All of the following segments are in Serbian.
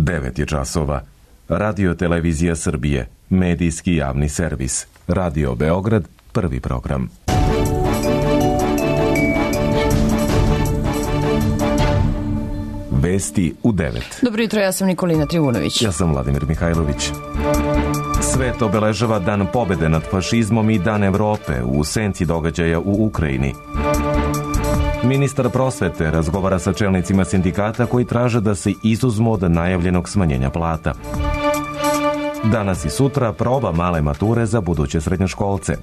9 je časova. Radio Televizija Srbije, medijski javni servis. Radio Beograd, prvi program. Vesti u 9. Dobro jutro, ja sam Nikolina Trivunović. Ja sam Vladimir Mihajlović. Svet obeležava Dan pobede nad fašizmom i Dan Evrope u senci događaja u Ukrajini. Ministar prosvete razgovara sa čelnicima sindikata koji traže da se izuzmu od najavljenog smanjenja plata. Danas i sutra proba male mature za buduće srednjoškolce.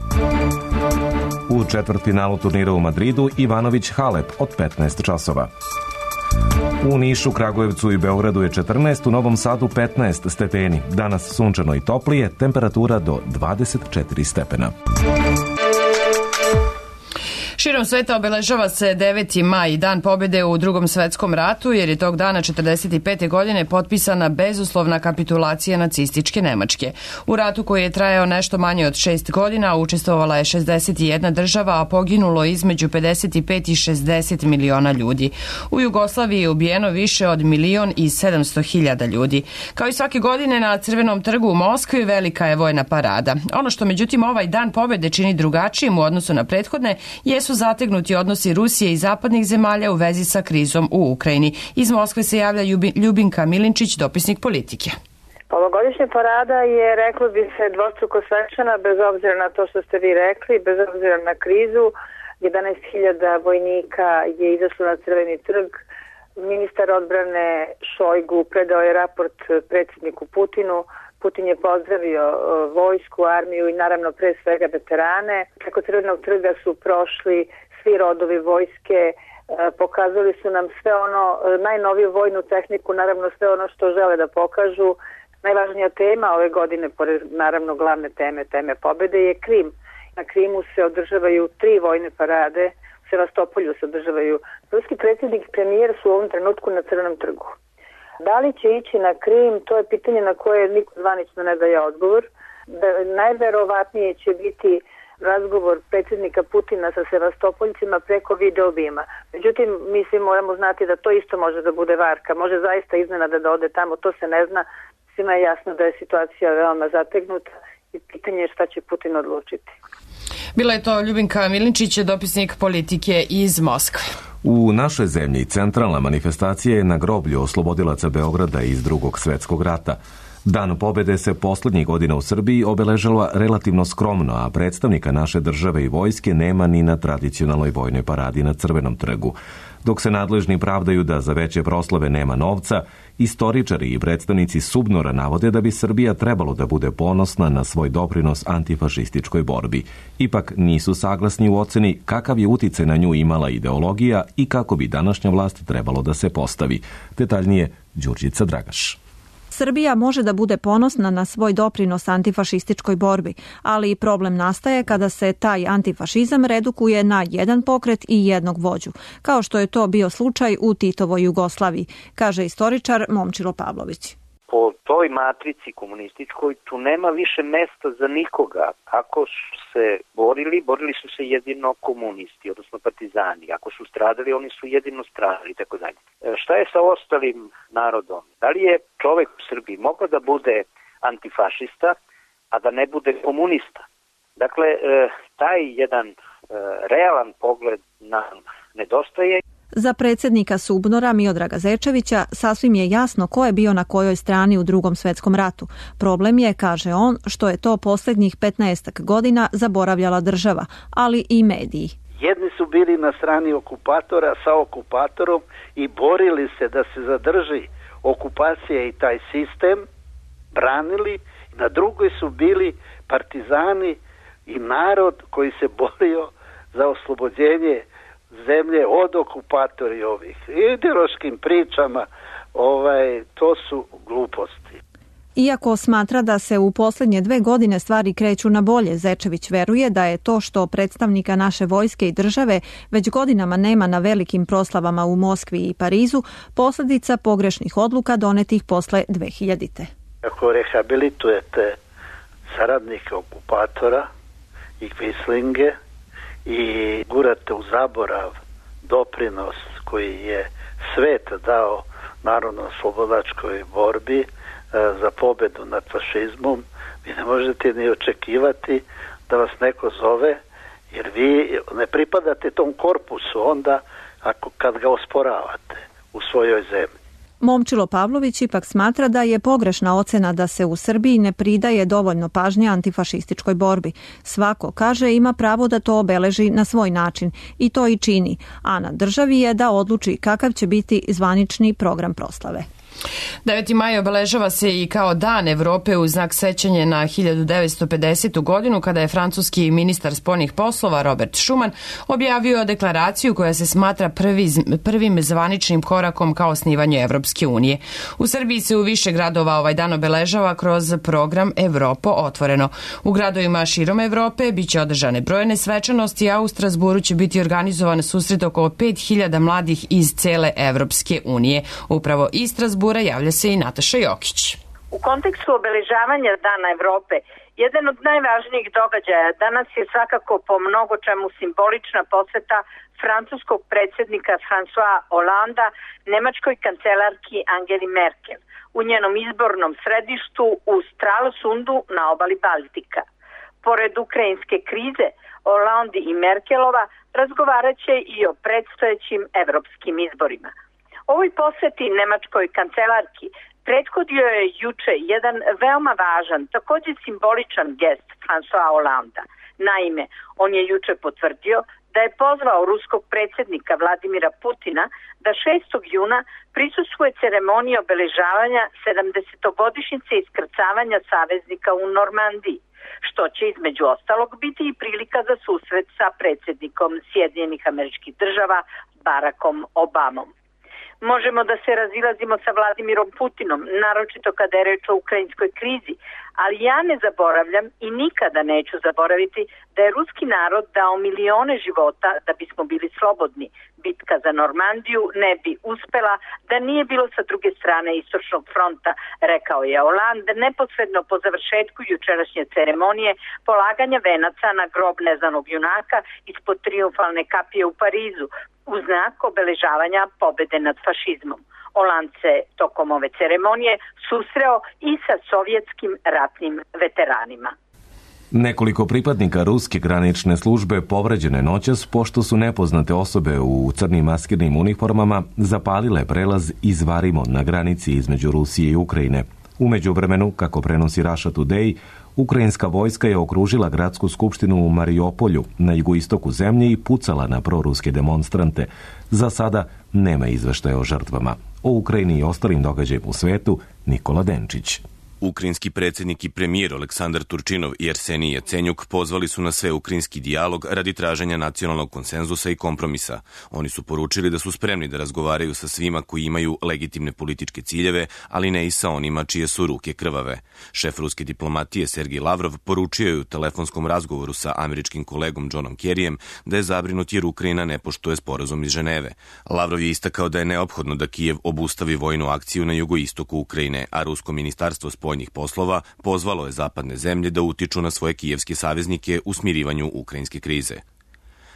U četvrtfinalu turnira u Madridu Ivanović Halep od 15 časova. U Nišu, Kragujevcu i Beogradu je 14, u Novom Sadu 15 stepeni. Danas sunčano i toplije, temperatura do 24 stepena. Širom sveta obeležava se 9. maj, Dan pobjede u Drugom svetskom ratu, jer je tog dana 1945. godine potpisana bezuslovna kapitulacija nacističke Nemačke. U ratu koji je trajao nešto manje od 6 godina učestvovala je 61 država, a poginulo između 55 i 60 miliona ljudi. U Jugoslaviji je ubijeno više od 1.700.000 ljudi. Kao i svake godine na Crvenom trgu u Moskvi velika je vojna parada. Ono što međutim ovaj Dan pobjede čini drugačijim u odnosu na prethodne jesu zategnuti odnosi Rusije i zapadnih zemalja u vezi sa krizom u Ukrajini. Iz Moskve se javlja Ljubinka Milinčić, dopisnik Politike. Ovogodišnja parada je, reklo bi se, dvostruko svečana, bez obzira na to što ste vi rekli, bez obzira na krizu. 11.000 vojnika je izašlo na Crveni trg. Ministar odbrane Šojgu predao je raport predsjedniku Putinu. Putin je pozdravio vojsku, armiju i naravno pre svega veterane. Preko Crvenog trga su prošli svi rodovi vojske, pokazali su nam sve ono, najnoviju vojnu tehniku, naravno sve ono što žele da pokažu. Najvažnija tema ove godine, pored naravno glavne teme pobjede, je Krim. Na Krimu se održavaju 3 vojne parade, u Sevastopolju se održavaju. Ruski predsjednik i premijer su u ovom trenutku na Crvenom trgu. Da li će ići na Krim, to je pitanje na koje niko zvanično ne daje odgovor. Najverovatnije će biti razgovor predsjednika Putina sa Sevastopoljcima preko video obima. Međutim, mi svi moramo znati da to isto može da bude varka. Može zaista iznenada da ode tamo, to se ne zna. Svima je jasno da je situacija veoma zategnuta i pitanje je šta će Putin odlučiti. Bila je to Ljubinka Milinčić, dopisnik Politike iz Moskve. U našoj zemlji centralna manifestacija je na groblju oslobodilaca Beograda iz Drugog svjetskog rata. Dan pobjede se poslednjih godina u Srbiji obeležava relativno skromno, a predstavnika naše države i vojske nema ni na tradicionalnoj vojnoj paradi na Crvenom trgu. Dok se nadležni pravdaju da za veće proslave nema novca, istoričari i predstavnici SUBNOR-a navode da bi Srbija trebalo da bude ponosna na svoj doprinos antifašističkoj borbi. Ipak nisu saglasni u oceni kakav je uticaj na nju imala ideologija i kako bi današnja vlast trebalo da se postavi. Detaljnije, Đurđica Dragaš. Srbija može da bude ponosna na svoj doprinos antifašističkoj borbi, ali i problem nastaje kada se taj antifašizam redukuje na jedan pokret i jednog vođu, kao što je to bio slučaj u Titovoj Jugoslaviji, kaže istoričar Momčilo Pavlović. Po toj matrici komunističkoj tu nema više mesta za nikoga. Ako su se borili su se jedino komunisti, odnosno partizani. Ako su stradali, oni su jedino stradali, tako dalje. Šta je sa ostalim narodom? Da li je čovek u Srbiji mogao da bude antifašista, a da ne bude komunista? Dakle, taj jedan realan pogled nam nedostaje. Za predsjednika SUBNOR-a Miodraga Zečevića sasvim je jasno ko je bio na kojoj strani u Drugom svjetskom ratu. Problem je, kaže on, što je to posljednjih 15 godina zaboravljala država, ali i mediji. Jedni su bili na strani okupatora sa okupatorom i borili se da se zadrži okupacija i taj sistem, branili. Na drugoj su bili partizani i narod koji se borio za oslobođenje zemlje od okupatori ovih. Ideološkim pričama to su gluposti. Iako smatra da se u posljednje 2 godine stvari kreću na bolje, Zečević veruje da je to što predstavnika naše vojske i države već godinama nema na velikim proslavama u Moskvi i Parizu, posljedica pogrešnih odluka donetih posle 2000. Ako rehabilitujete saradnike okupatora i kvislinge i gurate u zaborav doprinos koji je svet dao narodno-slobodačkoj borbi za pobedu nad fašizmom, vi ne možete ni očekivati da vas neko zove, jer vi ne pripadate tom korpusu onda kad ga osporavate u svojoj zemlji. Momčilo Pavlović ipak smatra da je pogrešna ocena da se u Srbiji ne pridaje dovoljno pažnje antifašističkoj borbi. Svako, kaže, ima pravo da to obeleži na svoj način i to i čini, a na državi je da odluči kakav će biti zvanični program proslave. 9. maj obeležava se i kao Dan Evrope u znak sećanja na 1950. godinu kada je francuski ministar spoljnih poslova Robert Schuman objavio deklaraciju koja se smatra prvim zvaničnim korakom ka osnivanju Evropske unije. U Srbiji se u više gradova ovaj dan obeležava kroz program Evropo otvoreno. U gradovima širom Evrope biće održane brojne svečanosti, a u Strasburu će biti organizovan susret oko 5000 mladih iz cele Evropske unije. Upravo iz Strasbura javlja se i Nataša Jokić. U kontekstu obeležavanja Dana Evrope, jedan od najvažnijih događaja danas je svakako po mnogo čemu simbolična poseta francuskog predsjednika François Hollanda nemačkoj kancelarki Angeli Merkel u njenom izbornom središtu u Stralsundu na obali Baltika. Pored ukrajinske krize, Hollande i Merkelova razgovarat će i o predstojećim evropskim izborima. Ovoj poseti nemačkoj kancelarki prethodio je juče jedan veoma važan, također simboličan gest François Hollanda. Naime, on je juče potvrdio da je pozvao ruskog predsjednika Vladimira Putina da 6. juna prisustvuje ceremoniji obeležavanja 70-godišnjice iskrcavanja saveznika u Normandiji, što će između ostalog biti i prilika za susret sa predsjednikom Sjedinjenih Američkih Država Barackom Obamom. Možemo da se razilazimo sa Vladimirom Putinom, naročito kada je reč o ukrajinskoj krizi, ali ja ne zaboravljam i nikada neću zaboraviti da je ruski narod dao milione života da bismo bili slobodni. Bitka za Normandiju ne bi uspela da nije bilo sa druge strane istočnog fronta, rekao je Hollande neposredno po završetku jučerašnje ceremonije polaganja venaca na grob neznanog junaka ispod trijumfalne kapije u Parizu, u znak obeležavanja pobede nad fašizmom. Hollande se tokom ove ceremonije susreo i sa sovjetskim ratnim veteranima. Nekoliko pripadnika ruske granične službe povređene noćas pošto su nepoznate osobe u crnim maskirnim uniformama zapalile prelaz Izvarimo na granici između Rusije i Ukrajine. U međuvremenu, kako prenosi Russia Today, ukrajinska vojska je okružila gradsku skupštinu u Mariupolju na jugoistoku zemlje i pucala na proruske demonstrante. Za sada nema izveštaja o žrtvama. O Ukrajini i ostalim događajima u svetu Nikola Denčić. Ukrajinski predsjednik i premijer Aleksandar Turčinov i Arsenij Jacenjuk pozvali su na sveukrajinski dijalog radi traženja nacionalnog konsenzusa i kompromisa. Oni su poručili da su spremni da razgovaraju sa svima koji imaju legitimne političke ciljeve, ali ne i sa onima čije su ruke krvave. Šef ruske diplomatije Sergej Lavrov poručio je u telefonskom razgovoru sa američkim kolegom Johnom Kerryjem da je zabrinut jer Ukrajina ne poštuje sporazum iz Ženeve. Lavrov je istakao da je neophodno da Kijev obustavi vojnu akciju na jugoistoku Ukrajine, a rusko ministarstvo spoljnih poslova pozvalo je zapadne zemlje da utiču na svoje kijevske saveznike u smirivanju ukrajinske krize.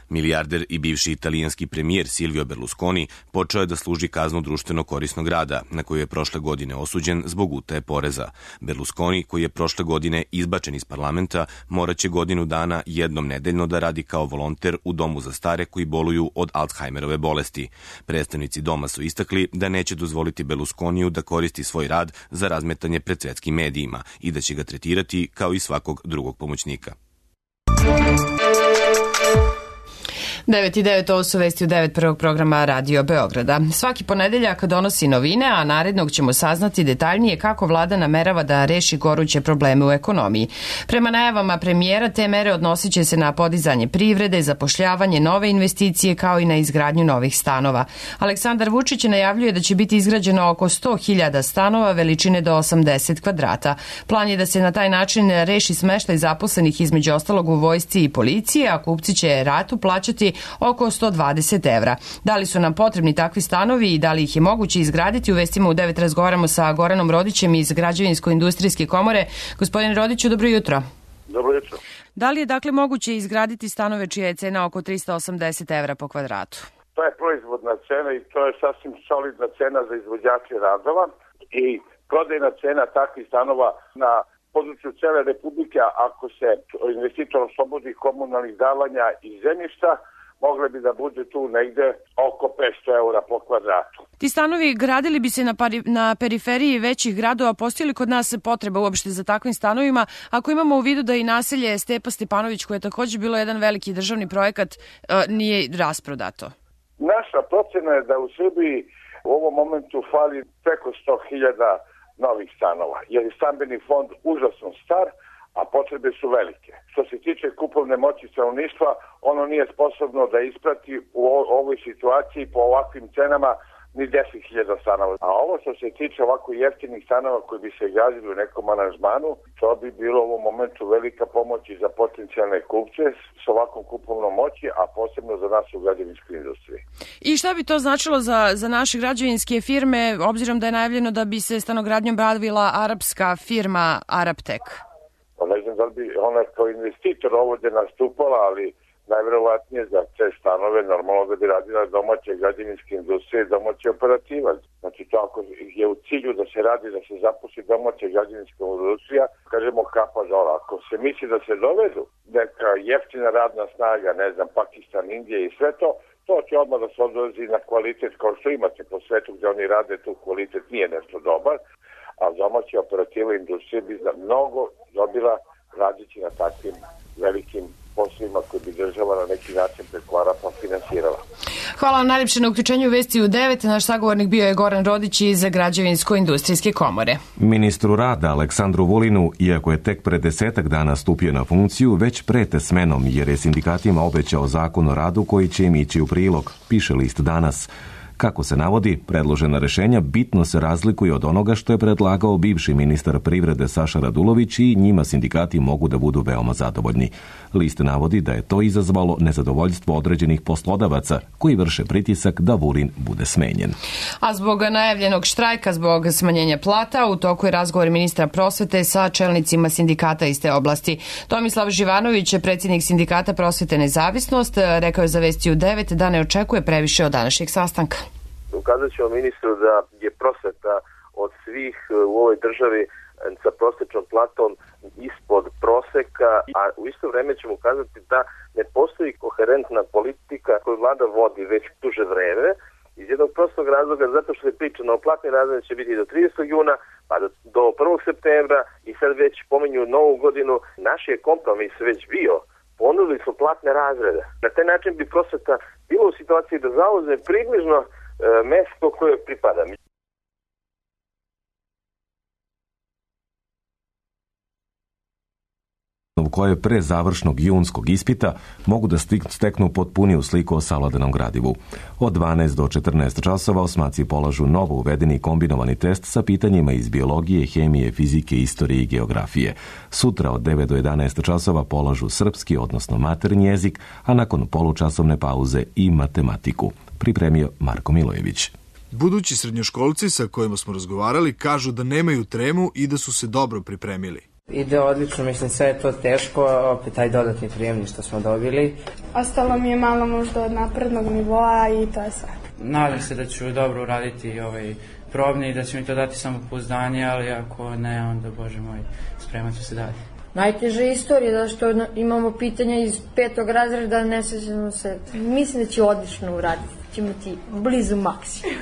Milijarder i bivši italijanski premijer Silvio Berlusconi počeo je da služi kaznu društveno korisnog rada, na koju je prošle godine osuđen zbog utaje poreza. Berlusconi, koji je prošle godine izbačen iz parlamenta, moraće godinu dana jednom nedeljno da radi kao volonter u domu za stare koji boluju od Alzheimerove bolesti. Predstavnici doma su istakli da neće dozvoliti Berlusconiju da koristi svoj rad za razmetanje pred svetskim medijima i da će ga tretirati kao i svakog drugog pomoćnika. 9.9, ovo su vesti u 9 prvog programa Radio Beograda. Svaki ponedeljak donosi novine, a narednog ćemo saznati detaljnije kako vlada namerava da reši goruće probleme u ekonomiji. Prema najavama premijera, te mere odnosit će se na podizanje privrede, zapošljavanje, nove investicije kao i na izgradnju novih stanova. Aleksandar Vučić najavljuje da će biti izgrađeno oko 100.000 stanova veličine do 80 kvadrata. Plan je da se na taj način reši smeštaj zaposlenih između ostalog u vojsci i policiji, a kupci će ratu plaćati oko 120 evra. Da li su nam potrebni takvi stanovi i da li ih je moguće izgraditi? U vestima u 9 razgovaramo sa Goranom Rodićem iz Građevinsko-industrijske komore. Gospodine Rodiću, dobro jutro. Dobro jutro. Da li je dakle moguće izgraditi stanove čija je cena oko 380 evra po kvadratu? To je proizvodna cena i to je sasvim solidna cena za izvođače radova i prodajna cena takvih stanova na području cele Republike, ako se investitor oslobodi komunalnih davanja i zemljišta, mogle bi da bude tu negde oko 500 eura po kvadratu. Ti stanovi gradili bi se na periferiji većih gradova. Postoji li kod nas potreba uopšte za takvim stanovima? Ako imamo u vidu da i naselje Stepa Stepanović, koje je takođe bilo jedan veliki državni projekat, nije rasprodato. Naša procena je da u Srbiji u ovom momentu fali preko 100.000 novih stanova, jer je stambeni fond užasno star, a potrebe su velike. Što se tiče kupovne moći stanovništva, ono nije sposobno da isprati u ovoj situaciji po ovakvim cenama ni 10.000 stanova. A ovo što se tiče ovako jeftinih stanova koji bi se gradili u nekom aranžmanu, to bi bilo u ovom momentu velika pomoć i za potencijalne kupce s ovakvom kupovnom moći, a posebno za nas u građevinskoj industriji. I šta bi to značilo za naše građevinske firme, obzirom da je najavljeno da bi se stanogradnjom bavila arapska firma Araptek? Ne znam da li bi ona kao investitor ovdje nastupala, ali najverovatnije za te stanove normalno da bi radila domaće građevinske industrije, domaće operativac. Znači to ako je u cilju da se radi, da se zaposli domaća građevinska industrija, kažemo kapa dole. Ako se misli da se dovedu neka jeftina radna snaga, ne znam, Pakistan, Indija i sve to, to će odmah da se odrazi na kvalitet kao što imate po svetu gdje oni rade, tu kvalitet nije nešto dobar, a domaća operativa industrija bi za mnogo dobila radići na takvim velikim poslovima koji bi država na neki način preko Arapa finansirala. Hvala vam najljepše na uključenju u Vesti u 9. Naš sagovornik bio je Goran Rodić iz Građevinsko-industrijske komore. Ministru rada Aleksandru Vulinu, iako je tek pre 10 dana stupio na funkciju, već prete smenom jer je sindikatima obećao zakon o radu koji će im ići u prilog, piše list Danas. Kako se navodi, predložena rešenja bitno se razlikuju od onoga što je predlagao bivši ministar privrede Saša Radulović i njima sindikati mogu da budu veoma zadovoljni. List navodi da je to izazvalo nezadovoljstvo određenih poslodavaca koji vrše pritisak da Vulin bude smenjen. A zbog najavljenog štrajka, zbog smanjenja plata, u toku je razgovor ministra prosvete sa čelnicima sindikata iz te oblasti. Tomislav Živanović, predsjednik sindikata Prosvete Nezavisnost, rekao je za Vesti u 9 da ne očekuje previše od današnjeg sastanka. Ukazat ćemo ministru da je prosveta od svih u ovoj državi sa prosječnom platom ispod proseka, a u isto vrijeme ćemo ukazati da ne postoji koherentna politika koju vlada vodi već duže vreme, iz jednog prostog razloga zato što je pričano o platnim razredima će biti do 30. juna, pa do 1. septembra i sad već pominju novu godinu. Naš je kompromis već bio. Ponudili smo platne razrede. Na taj način bi prosveta bila u situaciji da zauzme približno mesto koje pripada. Koje pre završnog junskog ispita mogu da steknu potpuniju sliku o savladanom gradivu. Od 12 do 14 časova osmaci polažu novo uvedeni kombinovani test sa pitanjima iz biologije, hemije, fizike, istorije i geografije. Sutra od 9 do 11 časova polažu srpski, odnosno maternji jezik, a nakon polučasovne pauze i matematiku. Pripremio Marko Milojević. Budući srednjoškolci sa kojima smo razgovarali kažu da nemaju tremu i da su se dobro pripremili. Ide odlično, mislim sve je to teško, opet taj dodatni prijemni što smo dobili. Ostalo mi je malo možda od naprednog nivoa i to je sve. Nadam se da ću dobro uraditi probni i da će mi to dati samopouzdanje, ali ako ne, onda Bože moj, spremat ću se dalje. Najteža je istorija, da što imamo pitanja iz 5. razreda, ne sećamo se. Mislim da će odlično uraditi, ćemo ti blizu maksimum.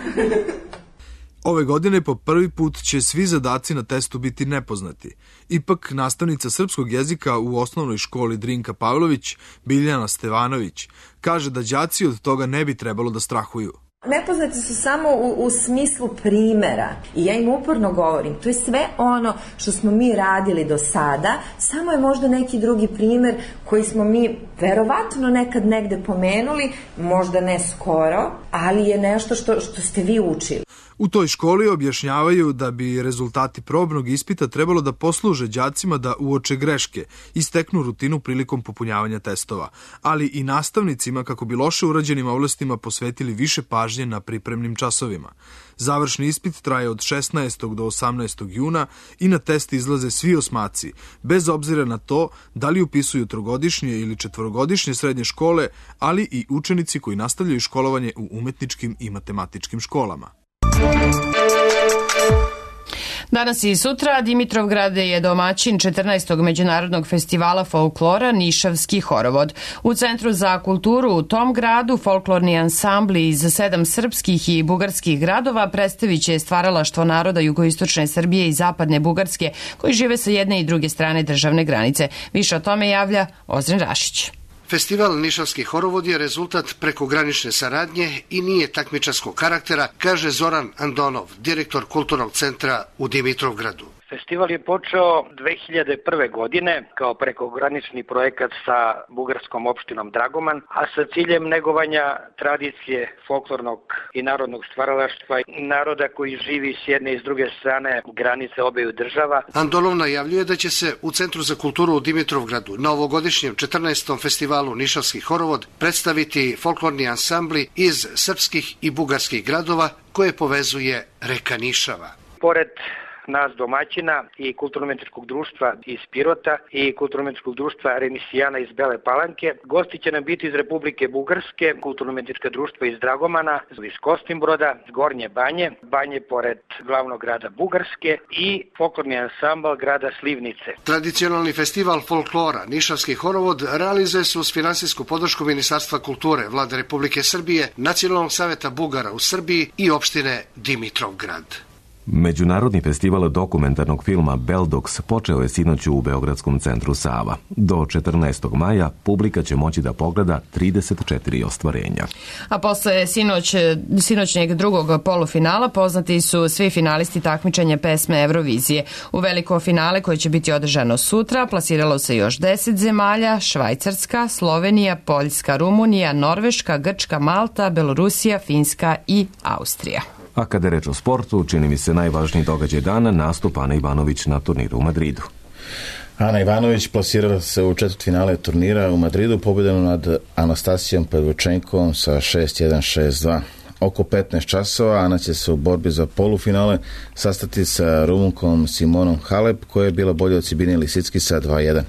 Ove godine po prvi put će svi zadaci na testu biti nepoznati. Ipak nastavnica srpskog jezika u osnovnoj školi Drinka Pavlović, Biljana Stevanović, kaže da đaci od toga ne bi trebalo da strahuju. Nepoznati su samo u smislu primera i ja im uporno govorim, to je sve ono što smo mi radili do sada, samo je možda neki drugi primer koji smo mi verovatno nekad negde pomenuli, možda ne skoro, ali je nešto što ste vi učili. U toj školi objašnjavaju da bi rezultati probnog ispita trebalo da posluže đacima da uoče greške i steknu rutinu prilikom popunjavanja testova, ali i nastavnicima kako bi loše urađenim oblastima posvetili više pažnje na pripremnim časovima. Završni ispit traje od 16. do 18. juna i na test izlaze svi osmaci, bez obzira na to da li upisuju trogodišnje ili četvorogodišnje srednje škole, ali i učenici koji nastavljaju školovanje u umetničkim i matematičkim školama. Danas i sutra Dimitrovgrad je domaćin 14. međunarodnog festivala folklora Nišavski horovod. U Centru za kulturu u tom gradu folklorni ansambli iz 7 srpskih i bugarskih gradova predstavit će stvaralaštvo naroda jugoistočne Srbije i zapadne Bugarske koji žive sa jedne i druge strane državne granice. Više o tome javlja Ozren Rašić. Festival Nišavski horovod je rezultat prekogranične saradnje i nije takmičarskog karaktera, kaže Zoran Andonov, direktor kulturnog centra u Dimitrovgradu. Festival je počeo 2001. godine kao prekogranični projekat sa bugarskom opštinom Dragoman, a sa ciljem negovanja tradicije folklornog i narodnog stvaralaštva naroda koji živi s jedne i s druge strane granice obeju država. Andonov najavljuje da će se u Centru za kulturu u Dimitrovgradu na ovogodišnjem 14. festivalu Nišavski horovod predstaviti folklorni ansambli iz srpskih i bugarskih gradova koje povezuje reka Nišava. Pored nas domaćina i kulturno-umetničkog društva iz Pirota i kulturno-umetničkog društva Remisijana iz Bele Palanke. Gosti će nam biti iz Republike Bugarske, kulturno-umetnička društva iz Dragomana, iz Kostimbroda, Gornje Banje, Banje pored glavnog grada Bugarske i folklorni ansambl grada Slivnice. Tradicionalni festival folklora Nišavski horovod realizuje se uz finansijsku podršku Ministarstva kulture, Vlade Republike Srbije, Nacionalnog saveta Bugara u Srbiji i opštine Dimitrovgrad. Međunarodni festival dokumentarnog filma Beldox počeo je sinoć u Beogradskom centru Sava. Do 14. maja publika će moći da pogleda 34 ostvarenja. A posle sinoćnjeg drugog polufinala poznati su svi finalisti takmičenja pesme Eurovizije. U veliko finale koje će biti održano sutra plasiralo se još 10 zemalja: Švajcarska, Slovenija, Poljska, Rumunija, Norveška, Grčka, Malta, Belorusija, Finska i Austrija. A kada je reč o sportu, čini mi se najvažniji događaj dana nastup Ane Ivanović na turniru u Madridu. Ana Ivanović plasirala se u četvrtfinale turnira u Madridu pobjedom nad Anastasijom Pavlučenkovom sa 6-1, 6-2. Oko 15 časova Ana će se u borbi za polufinale sastati sa Rumunkom Simonom Halep, koja je bila bolja od Sibine Lisicki sa 2-1.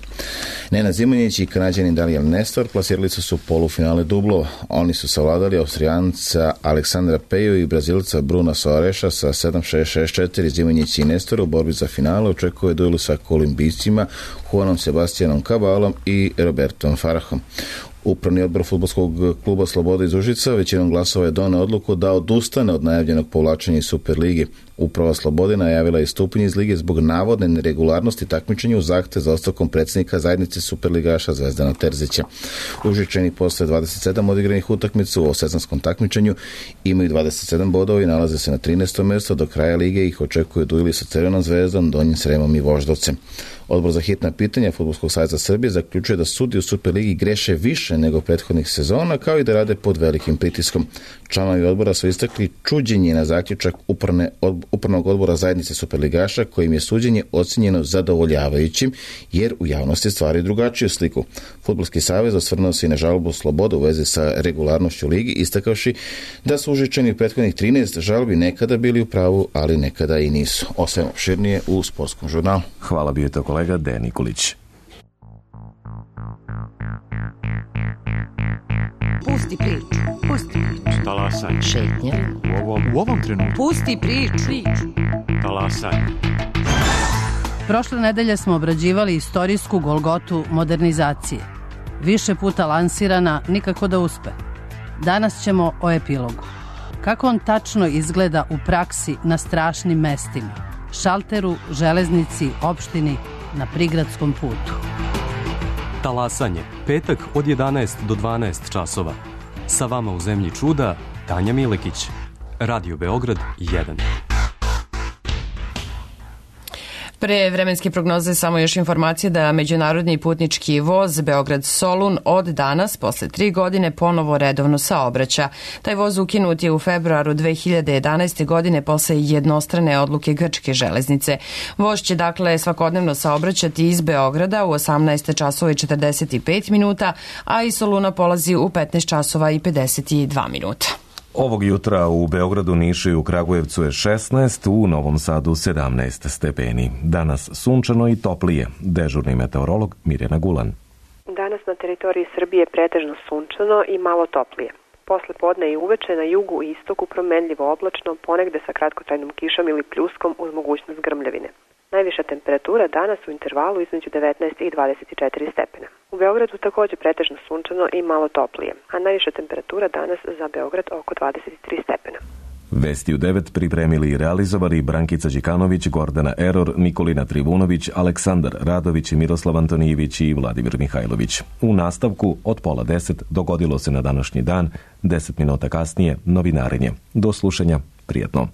Nenad Zimonjić i Kanadjanin Daniel Nestor plasirali su polufinale dublova. Oni su savladali Austrijanca Aleksandra Peju i Brazilca Bruna Soareša sa 7-6, 6-4. Zimonjić i Nestor u borbi za finale očekuje duelu sa kolumbijcima Juanom Sebastianom Cabalom i Robertom Farahom. Upravni odbor fudbalskog kluba Sloboda iz Užica većinom glasova je doneo odluku da odustane od najavljenog povlačenja iz Superligi. Uprava Slobode najavila je stupanje iz lige zbog navodne neregularnosti takmičenja u zahtev za ostavkom predsjednika zajednice superligaša Zvezdana Terzića. Užičani posle 27 odigranih utakmica u sezonskom takmičenju imaju 27 bodova i nalaze se na 13. mjesto. Do kraja lige ih očekuju dueli sa Crvenom Zvezdom, Donjim Sremom i Voždovcem. Odbor za hitna pitanja Fudbalskog saveza Srbije zaključuje da sudije u Superligi greše više nego prethodnih sezona, kao i da rade pod velikim pritiskom. Članovi odbora su istakli čuđenje na zaključak upravnog odbora zajednice superligaša, kojim je suđenje ocjenjeno zadovoljavajućim, jer u javnosti stvari drugačiju sliku. Fudbalski savez osvrnuo se i na žalbu Slobode u vezi sa regularnošću ligi, istakavši da su Užičani u prethodnih 13 žalbi nekada bili u pravu, ali nekada i nisu. Osam opširnije u Sportskom žurnalu. Hvala, bio je to kolega Dejan Nikolić. Pusti priču. Pusti priču. Talasaj. Šetnja. U ovom trenutku. Pusti priču. Talasaj. Prošle nedelje smo obrađivali istorijsku golgotu modernizacije. Više puta lansirana, nikako da uspe. Danas ćemo o epilogu. Kako on tačno izgleda u praksi na strašnim mestima? Šalteru, železnici, opštini, na prigradskom putu. Talasanje, petak od 11 do 12 časova. Sa vama u zemlji čuda, Tanja Milekić. Radio Beograd 1. Pre vremenske prognoze samo još informacije da međunarodni putnički voz Beograd-Solun od danas, posle 3 godine, ponovo redovno saobraća. Taj voz ukinut je u februaru 2011. godine posle jednostrane odluke grčke železnice. Voz će dakle svakodnevno saobraćati iz Beograda u 18 časova i 45 minuta, a iz Soluna polazi u 15 časova i 52 minuta. Ovog jutra u Beogradu, Nišu i u Kragujevcu je 16, u Novom Sadu 17 stepeni. Danas sunčano i toplije. Dežurni meteorolog Mirjana Gulan. Danas na teritoriji Srbije pretežno sunčano i malo toplije. Posle podne i uveče na jugu i istoku promenljivo oblačno, ponegde sa kratkotrajnom kišom ili pljuskom uz mogućnost grmljavine. Najviša temperatura danas u intervalu između 19 i 24 stepena. U Beogradu takođe pretežno sunčano i malo toplije, a najviša temperatura danas za Beograd oko 23 stepena. Vesti u 9 pripremili i realizovali Brankica Đikanović, Gordana Eror, Nikolina Trivunović, Aleksandar Radović, Miroslav Antonijević i Vladimir Mihajlović. U nastavku od 9:30 dogodilo se na današnji dan, 10 minuta kasnije novinarenje. Do slušanja, prijatno.